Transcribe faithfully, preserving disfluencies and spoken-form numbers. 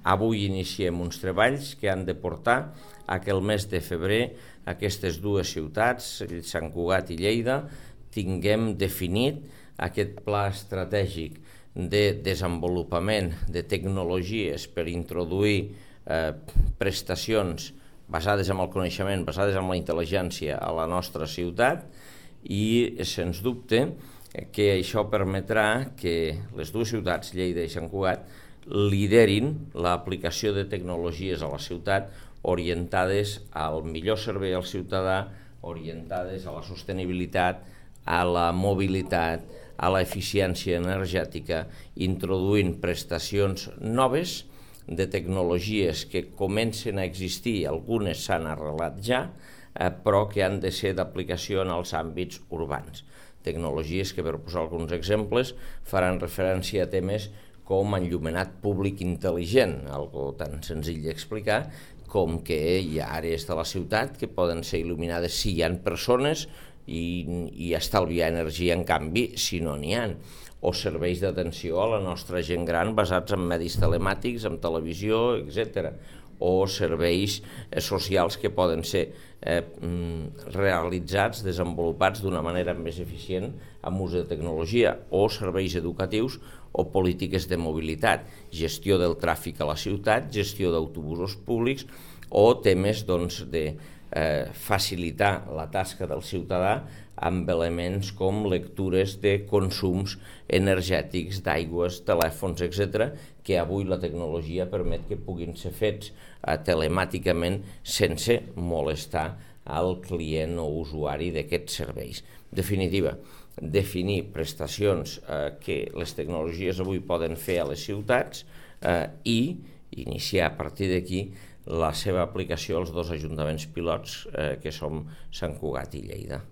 avui iniciem uns treballs que han de portar a que el mes de febrer aquestes dues ciutats, Sant Cugat i Lleida, tinguem definit aquest pla estratègic de desenvolupament de tecnologies per introduir eh, prestacions basades en el coneixement, basades en la intel·ligència a la nostra ciutat, i sens dubte que això permetrà que les dues ciutats, Lleida i Sant Cugat, liderin l'aplicació de tecnologies a la ciutat orientades al millor servei al ciutadà, orientades a la sostenibilitat, a la mobilitat, a l'eficiència energètica, introduint prestacions noves de tecnologies que comencen a existir, algunes s'han arrelat ja, eh, però que han de ser d'aplicació en els àmbits urbans. Tecnologies que, per posar alguns exemples, faran referència a temes com enllumenat públic intel·ligent, algo tan senzill d'explicar com que hi ha àrees de la ciutat que poden ser il·luminades si hi ha persones i, i estalviar energia, en canvi, si no n'hi ha. O serveis d'atenció a la nostra gent gran basats en medis telemàtics, en televisió, etcètera. O serveis eh, socials que poden ser eh, realitzats, desenvolupats d'una manera més eficient amb ús de tecnologia, o serveis educatius o polítiques de mobilitat, gestió del tràfic a la ciutat, gestió d'autobusos públics o temes doncs, de eh, facilitar la tasca del ciutadà amb elements com lectures de consums energètics, d'aigües, telèfons, etcètera, que avui la tecnologia permet que puguin ser fets eh, telemàticament sense molestar al client o usuari d'aquests serveis. En definitiva, definir prestacions eh, que les tecnologies avui poden fer a les ciutats eh, i iniciar a partir d'aquí la seva aplicació als dos ajuntaments pilots eh, que som Sant Cugat i Lleida.